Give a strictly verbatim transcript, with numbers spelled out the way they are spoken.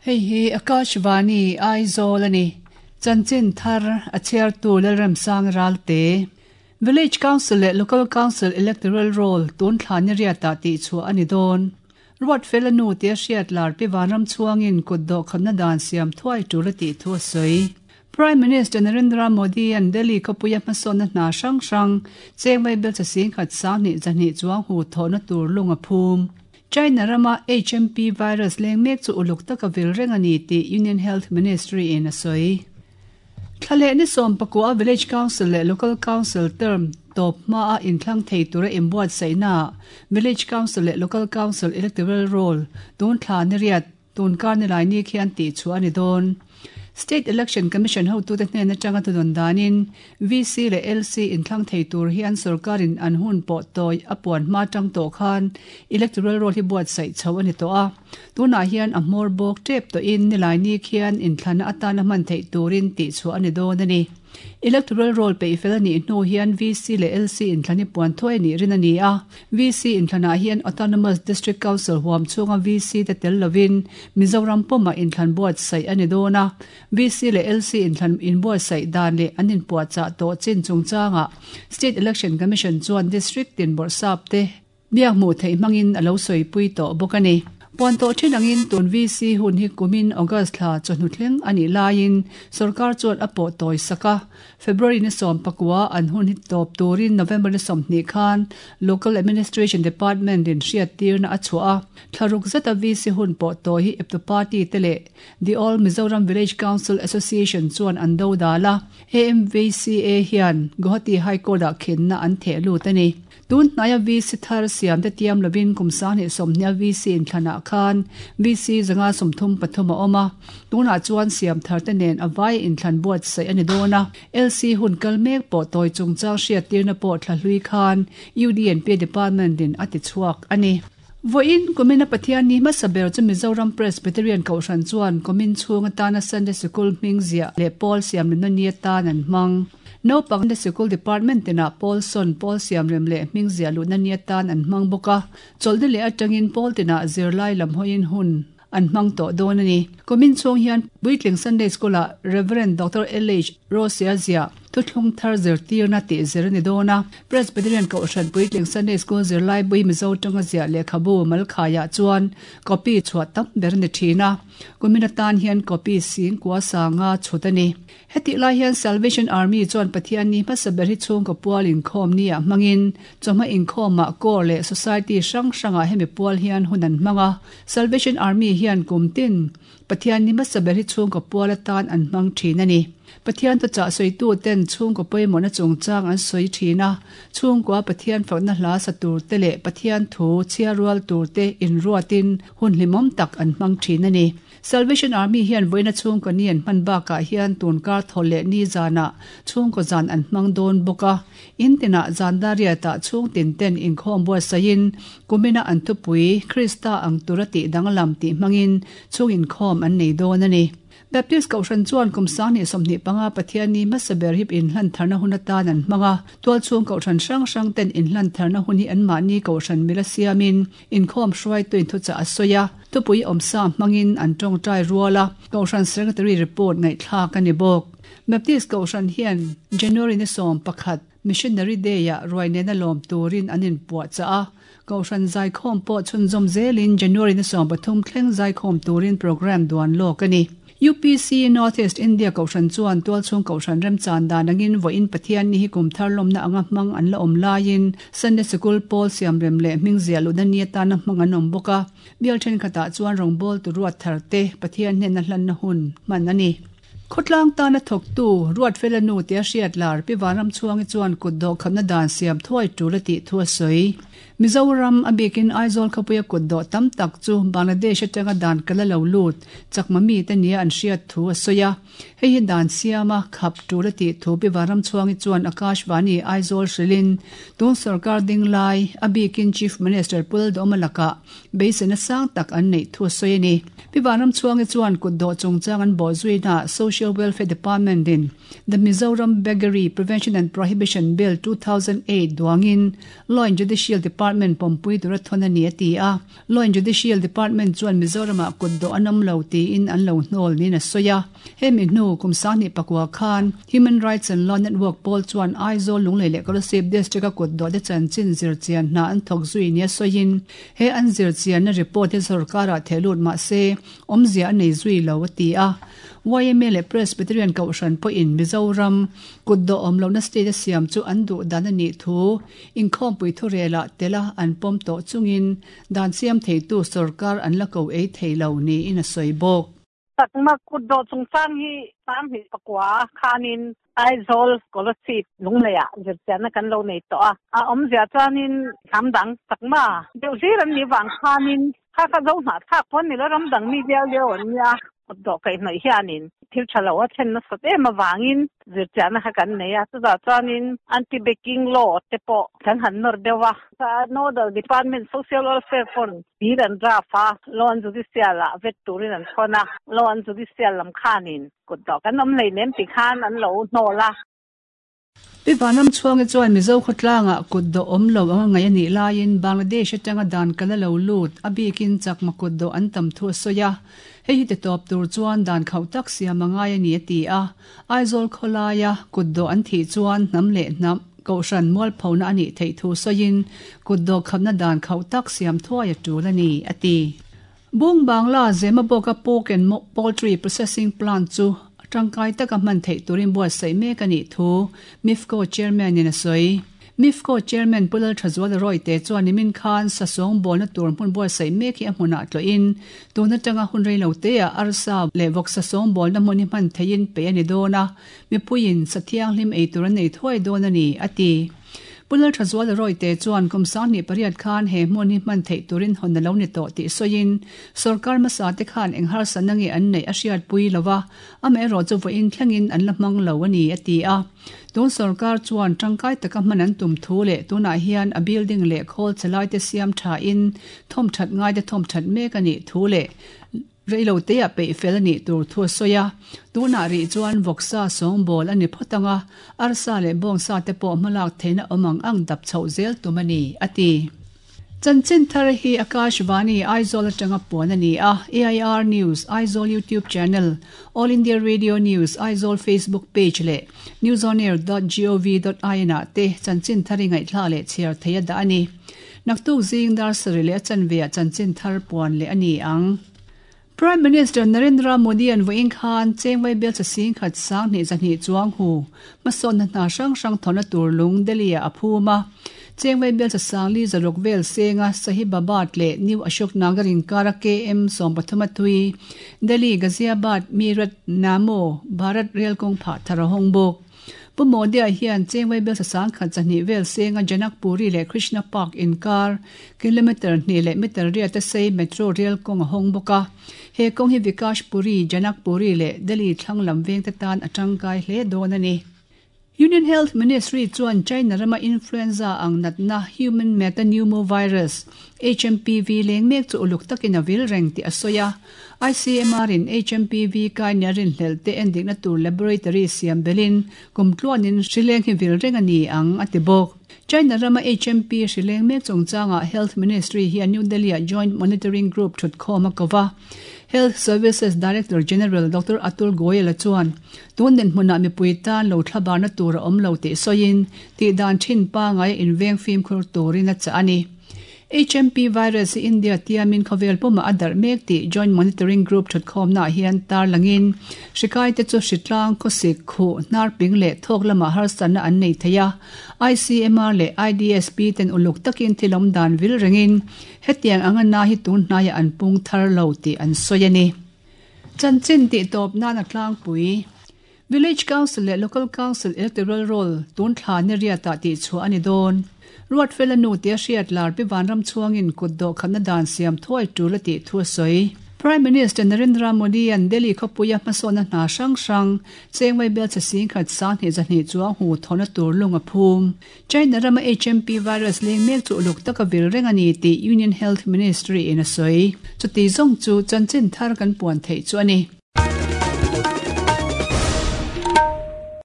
Hei hi Akashvani Aizawl ani. Chanchin thar a chhiartu Lalremsang Ralte. Village Council leh Local Council Electoral Roll tun thla ni riatah tih chhuah a ni dawn. Ruat fel a nu tia hriat lar pi vanram chhuangin kut dawh khamna dan siam thuai tul a tih thu a sawi. Prime Minister Narendra Modi an Delhi khawpuia hmasawnna hna hrang hrang cheng mai bel chasing khat sang hnih zahnih chuang hu thawhna tur lung a phum. China rama H M P virus leng mek chu uluk taka vil reng a ni tih Union Health Ministry in a sawi. Thlale ni sawm pakua Village Council leh Local Council term tawp hma a inthlang thei tura inbuat saihna Village Council leh Local Council Electoral Roll tun thla ni riat tun kar ni lai ni khian tih chu a ni dawn. State Election Commission hotute hnen atanga tudun danin V C leh L C inthlang thei tur hian sarkarin an hun pawh tawi a puan hma tang tawh khan electoral roll hi buat saih chho ani tawh a. Tunah hian a hmawr bawk tep tawhin nilai ni khian inthlana atana hman theih turin tih chu ani dawn ani. Electoral roll pe fel ani hnu hian V C leh L C inthlani puan thuai ni rin ani a. V C inthlana hian Autonomous District Council huam chunga V C te tel lovin Mizoram pawma inthlan buat saih ani dawn a. V C leh L C inthlan inbuat saih dan leh an inpuah chah tawh chin chungchanga State Election Commission chuan district tin bawrhsap te biak hmuh theih hmangin a lo sawi pui tawh bawk ani. Puan tawh thin angin tun V C hun hi kumin August thla chawhnu thleng ani laiin sarkar chuan a pawh tawi saka. February ni sawm pakua an hun hi tawp turin November ni sawmhnih khan Local Administration Department in hriat tirna a chhuah a. Thlaruk zeta V C hun pawh tawi hi Eptu Party te leh The All Mizoram Village Council Association chuan an do dal a. A M V C A hian Guwahati High Court ah khinna an theh lut ani. Tun hnaia V C thar siam te tiam lovin kum sang hnih sawmhnia V C inthlana khan V C zanga sawmthum pathum a awm a. Tunah chuan siam thar te nen a vai inthlan buat saih ani dawn a. L C hun kal mek pawh tawi chungchang hriat tirna pawh thla hlui khan U D N P Department in a ti chhuak ani. Voin kumina Pathian ni hmasa ber chu Mizoram Presbyterian Kohhran chuan kumin chhung atana Sunday Sikul hming ziah leh Paul siam rimna ni atan an hmang. Naupang Sunday Sikul Department tinah Paul Son Paul siam rem leh hming ziah luhna ni atan an hmang bawk a. Chawlhni leh atangin Paul tinah zirlai lam hawiin hun an hmang tawh dawn ani. Kumin chhung hian Puitling Sunday School ah Reverend Doctor L H Rosia ziah thuthlung thar zir tirna tih zir ani dawn a. Presbyterian Kohhran Puitling Sunday School zirlai bui Mizo tanga ziah lehkhabu malkhaiah chuan copy chhuah tam ber ni thin a. Kumin atan hian copy sing kua sanga chhut ani. Heti lai hian Salvation Army chuan Pathian ni hmasa ber hi chhung ka pual inkhawm ni ah hmangin chawhma inkhawm ah kawr leh society hrang hrangah hemi pual hian hun an hmang a. Salvation Army hian kum tin Pathian ni hmasa ber hi chhung ka pual atan an hmang thin ani. Pathian tu chah sawi tu ten chhung ka pawimawhna chungchang an sawi thin a. Chhung kua Pathian fakna hla sa tur te leh Pathian thu chhia rual tur te inruatin hun hlimawm tak an hmang thin ani. Salvation Army hian voina chhung ka ni an hman bakah hian tun kar thaw leh ni zanah chhung ka zan an hmang dawn bawk a. In tinah zan dariatah chhung tin ten inkhawm buatsaihin kumina an thupui Krista ang tura tih danglam tih hmangin chhung inkhawm an nei dawn ani. Baptist Kohhran chuan kum sang hnih sawmhnih panga Pathian ni hmasa ber hip inhlan tharna hun atan an hmang a. Tual chhung Kohhran hrang hrang ten inhlan tharna hun hi an mahni Kohhran mila siamin inkhawm hruaitu inthuchah a sawi a. Thupui awmsa hmangin an tawngtai rual a. Kohhran Secretary report ngaihthlak ani bawk. Baptist Kohhran hian January ni sawm pakhat Missionary Day ah ruai nena lawm turin an inpuah chah a. Kohhran zaikhawm pawh chhunzawm zelin January ni sawm pathum thleng zaikhawm turin program duan lawk ani. U P C Northeast India Kohhran chuan tual chhung Kohhran remchan dan angin voin Pathian ni hi kum thar lawmna anga hmang an la awm laiin Sunday Sikul Paul siam rem leh hming ziah luhna ni atana hmang an awm bawk a. Bial thenkhatah chuan rawngbâwl tu ruat thar te Pathian hnena hlanna hun hman ani. Khawtlang tana thawktu ruat fela nu tia hriat lar pi vanram chhuangi chuan kut dawh khamna dan siam thuai tul a tih thu a sawi. Mizoram a bikin Aizawl khawpuia kut dawh tam tak chu Bangladesh atanga dan kala lo lut chakma mi te nia an hriat thu a sawi a. Hei hi dan siama khap tul a tih thu Pi Vanramchhuangi chuan Akashvani Aizawl hrilhin tun sarkar ding lai a bikin Chief Minister Pu Lalduhoma lakah beiseina sang tak an neih thu a sawi a ni. Pi Vanramchhuangi chuan kutdawh chungchang an bawhzuina Social Welfare Department in The Mizoram Beggary Prevention and Prohibition Bill two thousand eight duangin Law and Judicial Department pawmpui tura thawn a ni a ti a. Law and Judicial Department chuan Mizoramah kutdawh an awm lo tiin an lo hnawl niin a sawi a. Hemi hnu kum sanghnih pakua khan Human Rights and Law Network pawl chuan Aizawl Lunglei leh Kolasib District a kutdawh te chanchin zirchian hna an thawk zui nia sawiin he an zirchianna report hi sorkarah theh lut mah se awmzia a nei zui lo a ti a. Y M A leh Presbyterian Kohhran pawhin Mizoram kutdawh awm lohna state a siam chu an duh dan a nih thu inkhawmpui thurelah tela an pawm tawh chungin dan siam theitu sorkar an la ko ei thei lo niin a sawi bawk. Chakma kutdawh chungchang hi sanghnih pakua khanin Aizawl Kolasib Lungleiah zirchianna kan lo nei tawh a. A awmzia chuanin hnam dang Chakma deuh hlir an nih vang khanin kha kha zo hnahthlak pawh an ni lo, ram dang mi viau lio an nia. Kutdawh kaihhnawih hianin thil tha lo a thlen nasat em avangin zirchianna kha kan nei a. Chutah chuanin anti-begging law te pawh kan han nawr deuh a. Nodal Department Social Welfare pawn bill an draft a, Law and Judicial ah vet turin an thawn a. Law and Judicial lam khanin kutdawh kan awm hleinem ti khan an lo hnawl a. Pi Vanramchhuangi chuan Mizo khawtlangah kutdawh awm lo anga ngaih a nih laiin Bangladesh atanga dan kal a lo lut, a bikin Chakma kutdawh an tam thu a sawi a. Hei hi titawp tur chuan dan khauh tak siam a ngai a ni a ti a. Aizawl khawlaia kutdawh an thih chuan hnam leh hnam kohhran mualphona a nih theih thu sawiin kutdawh khapna dan khauh tak siam thuai a tul a ni a ti. Bung Bangla Zemabawka Pork and Poultry Processing Plant chu tangkai taka hman theih turin buatsaih mek a nih thu MIFCO Chairman in a sawi. MIFCO Chairman Pu Lalthazuala Rawite chuan nimin khan sasawng bawlna tur hmun buatsaih mek hi a hmunah tlawhin tun atanga hun rei lo teah arsa leh vawk sasawng bawlna hmun hi hman theihin peih a ni dawn a, mipuiin sa thianghlim ei tur an nei thuai dawn a ni, a ti. Pu Lalthazuala Rawite chuan kum sanghnih pariat khan he hmun hi hman theih turin hawn a lo ni tawh tih sawiin sorkar hmasa te khan eng harsatna nge an neih a hriatpui lo va, amaherawh chu vawiin thlengin an la hmang lo a ni, a ti a. Tun sorkar chuan tangkai taka hman an tum thu leh tunah hian a building leh khawl chalai te siam thain thawmthat ngai te thawmthat mek a nih thu leh reilo teah peih fel a nih tur thu a sawi a. Tunah rih chuan vawksa sawngbawl a ni phawt ang a, arsa leh bawngsa te pawh hmalak theihna awm ang ang dap chhoh zel tum a ni, a ti. Chanchin thar hi Akashvani Aizawl atanga puan a ni a, A I R News Aizawl YouTube channel, All India Radio News Aizawl Facebook page leh newsonair dot gov dot in ah te chanchin thar i ngaihthla leh chhiar thei a dah a ni. Naktuk zing dar sarih leh a chanve ah chanchin thar puan leh a ni ang. Prime Minister Narendra Modi an vawiin khan Chengvai bel chasing khat sanghnih zahnih chuang hu hmasawnna hna hrang hrang thawhna tur lung Delhi ah a phum a. Chengvai bel chasangli zaruk vel senga Sahibabad leh New Ashok Nagar inkara K M sawm pathum a tui Delhi Ghaziabad Meerut Namo Bharat Rail kawng phah thar a hawng bawk. Pu Modi-a hian Chengvai bel sasang khat zahnih vel senga Janakpuri leh Krishna Park inkar kilometre hnih leh meter riat a sei metro rail kawng a hawng bawk a. He kawng hi Vikashpuri, Janakpuri leh Delhi thlang lam vengte tan a tangkai hle dawn a ni. Union Health Ministry chuan China rama influenza ang natna Human Metapneumovirus, H M P V leng mek chu uluk takin a vil reng tih a sawi a. I C M R in H M P V kai nia rinhlelh te endikna tur laboratory siam belin kum tluanin hrileng hi vil reng a ni ang a ti bawk. China rama H M P hrileng mek chungchangah Health Ministry hian New Delhi-ah Joint Monitoring Group thutkhawm a ko va. Health Services Director General Doctor Atul Goyal-a chuan tun dinhmunah mipui tan lo thlabarna tur a awm lo tih sawiin tih dan thin pangai a inveng fimkhur turin a chah a ni. H M P virus hi India tiamin khawvel pumah a darh mek tih Joint Monitoring Group thutkhawmnaah hian tarlangin hrikai te chu hritlang khawsik khuh hnar ping leh thawk lamah harsatna an nei thei a. I C M R leh I D S P ten uluk takin thil awm dan vil rengin hetiang anga na hi tun hnaiah an pung thar lo tih an sawi a ni. Chanchin tih tawp nan a tlangpui. Village Council leh Local Council Electoral Roll tun thla ni riatah tih chhuah a ni dawn. Ruatfela nu tia hriat lar Pi Vanramchhuangin kutdawh khapna dan siam thuai tul a tih thu a sawi. Prime Minister Narendra Modi an Delhi khawpuia hmasawnna hna hrang hrang chengwei bel che sing khat sang hnih zahnih chuang hu thawna tur lung a phum. China rama H M P virus leng mek chu uluk taka vil reng ani tih Union Health Ministry in a sawi. Chuti zawng chu chanchin thar kan puan theih chu a ni.